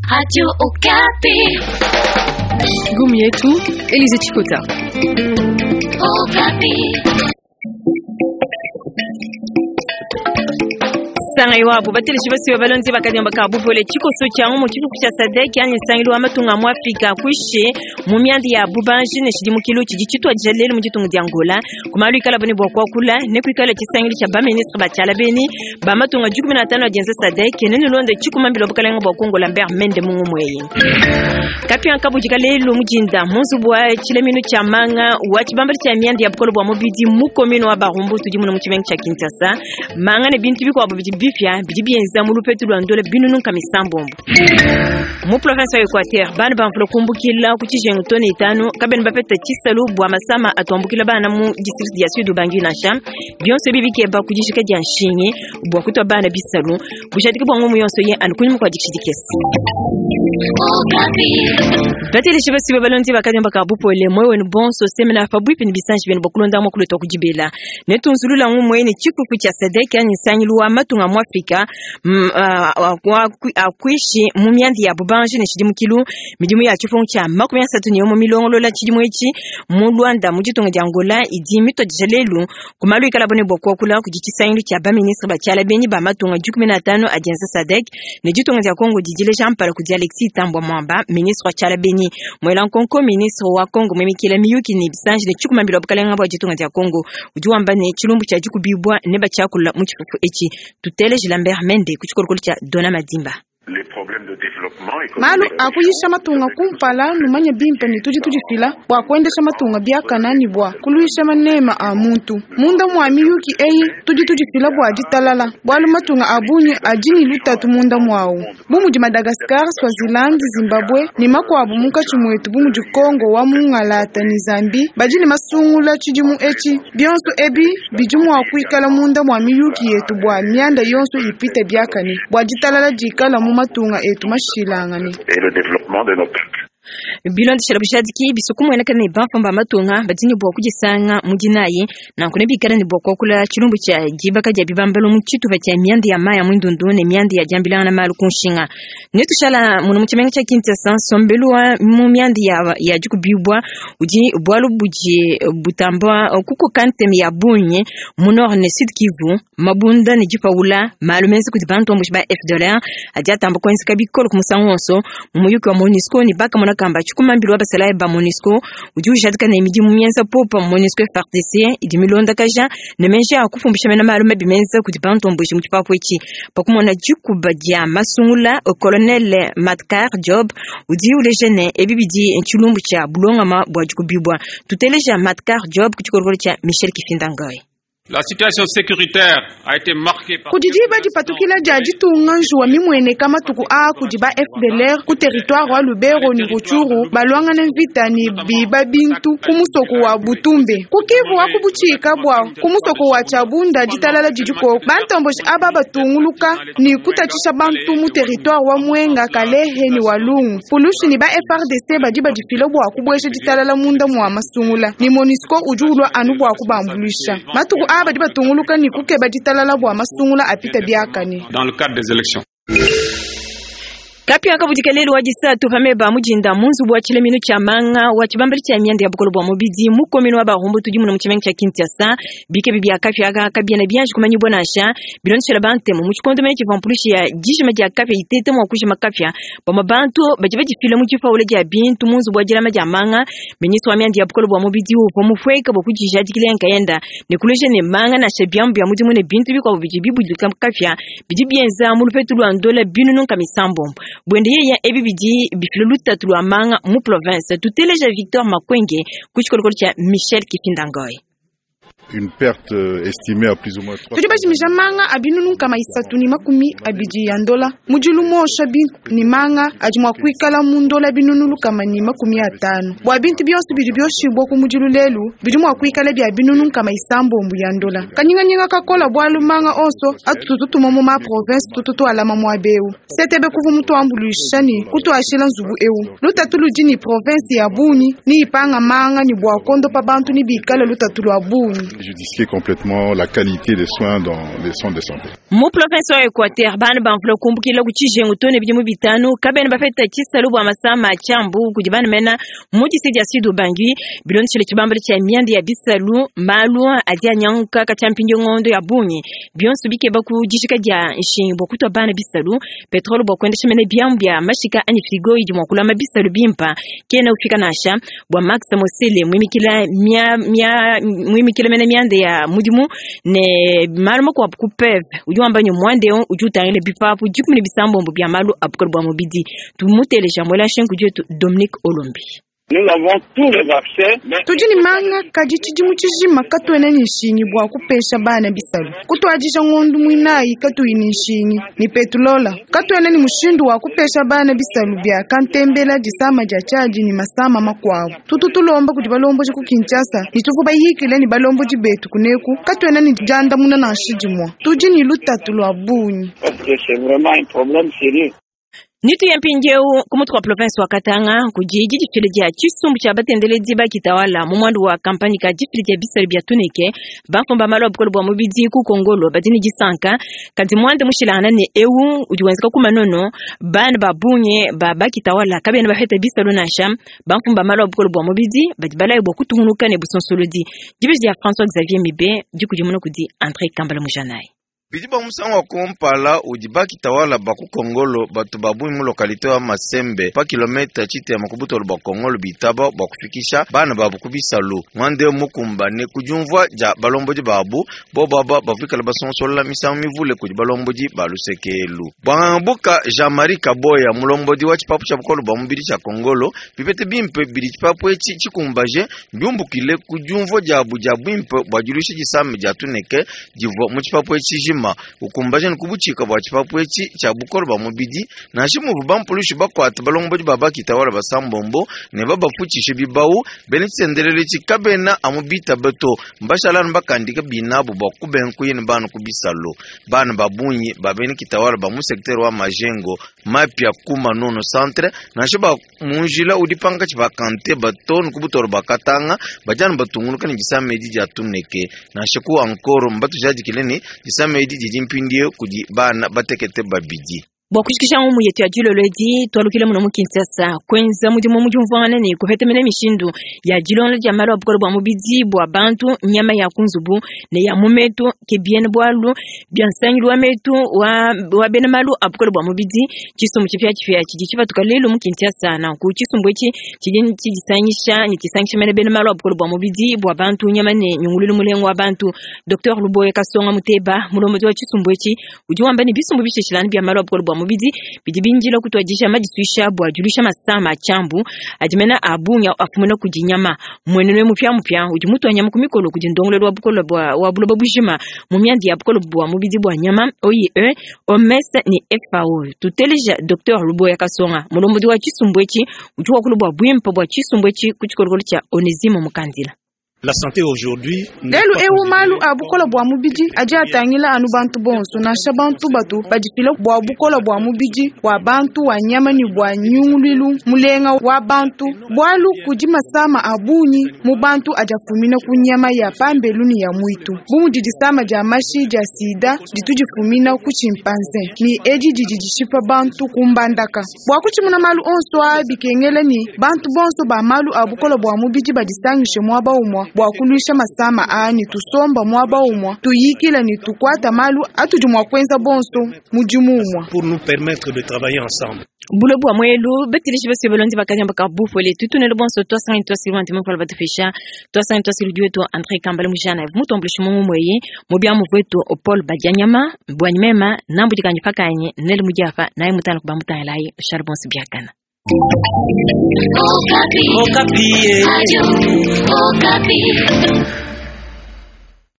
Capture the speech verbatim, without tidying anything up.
Radio Okapi. Gumi yetu Elize Chikota. Okapi. Sanga iwabo bateleshi basiwe balonzi bakanyamba ka bupole chikoso kya mu chifuku cha SADC yani nsangilu wa matunga mu Afrika kwishe mu myandi ya bubanji ne shidimukilu chidi chitwa jalelu mu ditunga dia Angola kumalu ikala bone bwa kwakula ne kwikala chisangilu cha ba ministre ba chala beni ba matunga jukumi na tano ajenza SADC ne nulonde chikumambilo bukalenga bwa Kongo Lambert Mende mungu mweye kapya nkabujika lelu mujinda munzubu wa chilemino cha manga wa chibambali cha myandi ya bukolo bwa mubidi mu commune wa Barumbu tudi muno mu chimengo cha Kinshasa manga ne bintu bikwabo bidi bipya bidi bienza mu lupetu lwa ndola binunu nka misambombo mu province ya Equateur bana bamvula kumbukila ku chijengo tone itanu kabeni bapeta chisalu bwa masama atuambukila bana mu district ya Sud Ubangi nansha byonse bibikeba kujishika dia nshinyi bwa kutwa bana bisalu bushadiki bwa ngomu yonso ye anukunyuma kwa dikishidikesi Okapi. Bateleshi basibe balonzi bakanyamba ka bupole mwewe ni bonso semena fabwipi ni bisanji bene bokulonda mo kuleta kujibela netunzulula ngumwe ni chikuku cha SADC yani nsangilu wa matunga mu Afrika mm, ah, ah, akwishi mu myandi ya bubanji ne shidimukilu midimu ya chifungu cha makumi asatu ni yomo milongolola chidimu ichi mu Rwanda mu ditunga dia Angola idi mitodija lelu kumalu ikala bone bokwakula kudi chisangilu cha ba ministre ba chala benyi ba matunga jukumi na tano ajenza SADC ne ditunga dia Kongo didileja mpala kudi Alexis Thambwe Mwamba ministre wa chala benyi mwela nkonko ministre wa Kongo mwemikila miyuki ni bisanji ne chikumambilo bukalenga bwa ditunga dia Kongo udi wamba ne chilumbu cha dikubibwa ne bachakula mu chifufu echi tuteleje Lambert Mende ku chikolokolo cha Dona Madimba. Les problèmes de développement Malu économique. akuyisha matunga kumpala numanye bimpe ni tudi tudifila bua kuendesha matunga biakana ni bua kuluisha manema a muntu munda mua miyuki eyi tudi tudifila bua ditalala bualu matunga a bungi adi ni lutatu munda muawu bu mudi Madagascar, Swaziland, Zimbabwe ni makuabu munkatshi muetu bu mudi Kongo wa mungalata ni Zambi badi ne masungula tshidimu etshi bionso ebi bidi mua kuikala munda mua miyuki yetu bua mianda yonso ipite biakane bua ditalala dikala mu matunga etu mashilangane. Et le développement de nos peuples. Bilondeshela bushadiki bisukumweneka ne bafamba matunga badini bwa kujisanga mudinayi nanku nebikala ne bwa kwakula chilumbu cha dibaka dia bibambalo mu tshitupa tshia mianda ya maya mwindundu ne mianda ya diambilanga malu kunshinga netushala muno mu tshimenga tshia Kinshasa nsombelu wa mu mianda ya, ya dikubibwa udi bwalu budi butamba kukoka nteme ya bungi mu nord ne sud Kivu mabunda ne dipaula malu menza kudi bantu ambushi ba F D L R adi atamba kuenzeka bikolo ku musangu wonso mu muyuki wa MONUSCO ne bakamona kamba chikumambilo wa basalayi ba MONUSCO udi ujadika ne midimu mienza popa MONUSCO F A R D C idi milondakaja ne menji a kufumbisha mena malu mabi menza kudi bantu ambushi mu tshipapu etshi pakumona dikuba dia masungula colonel Matkar Job udi uleja ne ebi bidi tshilumbu tshia bulongama bua dikubibwa tuteleja Matkar Job ku tshikolokolo tshia Michel Kifindangoy. La situation sécuritaire a été marquée par Kudi diba dipatukila dia ditunga njuwa mimueneka matuku a kudi ba F D L R ku territoire wa Lubero ni Rutshuru balwangana mvita ni biba bintu ku musoko wa Butumbe ku Kivu wa kubuchika bwa ku musoko wa Chabunda ditalala didiko bantomboshi aba batunguluka ni kutatshisha bantu mu territoire wa Mwenga Kalehe ni Walungu pulushi ni ba F R D C badi badifila bua kubuesha ditalala munda mua masungula ni MONUSCO udi ulwa anu bua kubambulisha matuku a badi batunguluka ni kukeba ditalala bua masungula apita biakane. Dans le cadre des élections. Kapya kabudika lelu wa disatu pameba mujinda munzubu wa chilemino cha manga wa chibambali cha mianda ya bukolo bwa mubidi mu commune wa Barumbu tudi muno mu chimengo cha Kinshasa bike bibi akapya aka kabia na bianji kumanyi bona sha bilonshela bantemu mu chikondo mene chivampulishi ya dijima dia kapya itete mu kujima kapya bama bantu baji bajifile mu chifaule dia bintu munzubu wa jilama dia manga ministre wa mianda ya bukolo bwa mubidi uvo mufweka bwa kujijadikile nkayenda ne kuleje ne manga na shebyambu ya mudimu ne bintu bikwa bidi bibudika kapya bidi bienza mu lupetu lwa ndola binunu nka misambombo bwende yeya ebi bidi bifilo lutatu lwa manga mu province tuteleja Victor Makwenge ku tshikolokolo tshia Michel Kifindangoy. Une perte estimée à plus ou moins trois Tudi bajimija manga abinunu nkama isatu ni makumi abidi ya ndola mudilu mosha bintu ni manga adi mua kuikala mu ndola binunu lukama ni makumi atanu bua bintu bionso bidi bioshibwa ku mudilu lelu bidi mua kuikala bia binunu nkama isambombu ya ndola kanyinganyinga kakola bualu manga onso atutu tutuma mu ma province tutu tualama muaba eu setebe kuvu mutuambuluisha ni kutuashila nzubu eu lutatu ludi ni province ya bungi ni ipanga manga ni bua kondopa bantu ni bikala lutatu lua bungi. Préjudicier complètement la qualité des soins dans les centres de santé. Mu province wa Equateur bana bamvula kumbukila ku tshijengu to ne bidimu bitanu kabena bapeta tshisalu bua masama a tshiambu kudi bana mena mu district ya Sud Ubangi bilondeshile tshibambalu tshia mianda ya bisalu malu adi anyanguka katshia mpindieu ngondo ya bungi bionso bikeba ku dijika dia nshingi bua kutua bana bisalu petrole bua kuendesha mene biamu bia mashika anyi frigo idi mua kulama bisalu bimpa kena ufika nansha bua Max Mosele muimikila mia mia muimikila mene mianda ya mudimu ne malu makuabu ku P E V udi wamba ne mwande udi utangila bipapu dikumi ne bisambombo bia malu a bukole bua mubidi tumuteleja mwela nshingu dietu Dominique Olombi. Nous avons tous les accès, mais tudi ne manga kadi tshidimu tshijima katuena ne nshingi bua kupesha bana bisalu kutuadija ngondu muinayi katuyi ne nshingi ni petulola katuena ne mushindu wa kupesha bana bisalu bia kantembela disama dia tshiadi ne masama makuabu tutu tulomba kudi balomboji ku Kinshasa ne tuvu bayikile ne balomboji betu kuneku katuena ne diandamuna nansha dimue tudi ne lutatu lua bungi. Parce que c'est vraiment un problème sérieux. Nitu ya mpindieu ku mutu wa province wa Katanga kudi didifile dia tshisumbu tshia batendeledi bakitawala mu mwandu wa kampanye ka difile dia bisalu bia tuneke bamfumba malu a bukole bua mubidi ku Kongolo badi ne disanka kadi muanda mushilangana ne eu udi wenzeka ku manono bana ba bungi ba bakitawala kabena bapeta bisalu nansha bamfumba malu a bukole bua mubidi badi balayi bua kutungunuka ne busonsolodi dibeji dia François Xavier Mibe dikudimuna kudi André Kambala Mujanai. Bidi ba musangu wa kumpala udi bakitawala ba ku Kongolo batu babungi mu lokalite wa Masembe pa kilomita tshitema ku butolo bua Kongolo bitaba bua kufikisha bana babu ku bisalu mwande mukumbane ku diumvua dia balombodi babu bobo aba bavuikala basonsola misangu mivule kudi balombodi ba lusekelu. Bwangangabuka Jean-Marie Kaboya mulombodi wa tshipapu tshia bukolo bua mubidi tshia Kongolo bipete bimpe bidi tshipapu etshi tshikumbaje biumbukile ku diumvua diabu dia bwimpe bua diluisha disame dia tuneke divua mu tshipapu etshi jima ukumbaje nkubuchika bua tshipapu etshi tshia bukolo bua mubidi nansha muvu bampulushi bakwata balombodi ba bakitawala basambombo ne babafutshishe bibau bene tshisendelele tshikabena amu bitabe to mbashalanu bakandika binabu bua kubenkuye ne bana ku bisalo bana babunyi ba bene kitawala ba mu secteur wa Majengo mapya kuma nono centre nansha ba munjila udi pankatshi bakante batonu ku butolo bakatanga bajana batunguluka ne disame edi dia tuneke nansha ku ankoro mbatujadikile ne disame edi didi mpindieu kudi bana batekete babidi. Bua kushikisha ngumu yetu ya dilolo edi twalukile muno mu Kinshasa kwenza mudimu mu diumvuangana ne kupetemena mishindu ya dilonda dia malu a bukole bua mubidi bua bantu nyama ya kunzubu ne ya mumetu ke bien bwalu bia nsangilu wa metu wa, wa bena malu a bukole bua mubidi tshisumbu tshipia tshipia tshidi tshipatuka lelu mu Kinshasa nanku tshisumbu etshi tshidi tshidisangisha ne tshisangisha mene bena malu a bukole bua mubidi bua bantu nyama ne nyungululu mulengo wa bantu. Docteur Luboye Kasonga Muteba mulombodi wa tshisumbu etshi udi wamba ne bisumbu bishishilana bia malu a bukole bua mubidi bidi binjila kutwadisha madisuisha bua dilusha masama a tshiambu adi mena a bungi afumina kudi nyama mwenene mupya mupya udi mutua nyama ku mikolo kudi ndongolelo wa bukole bua wa buloba bujima mu mianda ya bukole bua mubidi bua nyama O I E O M S ne F A O. Tuteleja Docteur Luboya Kasonga mulombodi wa tshisumbu etshi udi wakula bua buimpe bua tshisumbu etshi ku tshikolokolo tshia Onesime Mukandila. La santé aujourd'hui lelu ewu malu a bukola bua mubidi adi atangila anu bantu bonso nansha bantu batu badifila bua bukola bua mubidi wa bantu wa nyama ne bua nyunguluilu mulenga wa bantu bualu kudi masama a bungi mu bantu adi afumina ku nyama ya pambelu ne ya mwitu bu mudi disama dia mashi dia sida ditu difumina ku chimpanze ni edi didi dishipa bantu ku mbandaka bua kutshimuna malu onso a bikengela ni bantu bonso ba malu a bukola bua mubidi badisangishe muaba umua bua kuluisha masama ani tusomba muaba umua tuyikila ni tukwata malu atudi mua kuenza bonso mudimu umua pour nous permettre de travailler ensemble. Bulo bua mwelu betilishi bese belondi bakanyamba ka bupole tutunele bonso twasangi twasili wanti mukala batufisha twasangi twasili dueto André Kambale mujana mutombulishi mungu mweye mubya muvwetu Paul Badianyama bwanyi mema nambu dikanyi pakanye nele mujafa naye mutana kuba mutalayi charbon biakana. Okapi. Okapi. Radio Okapi.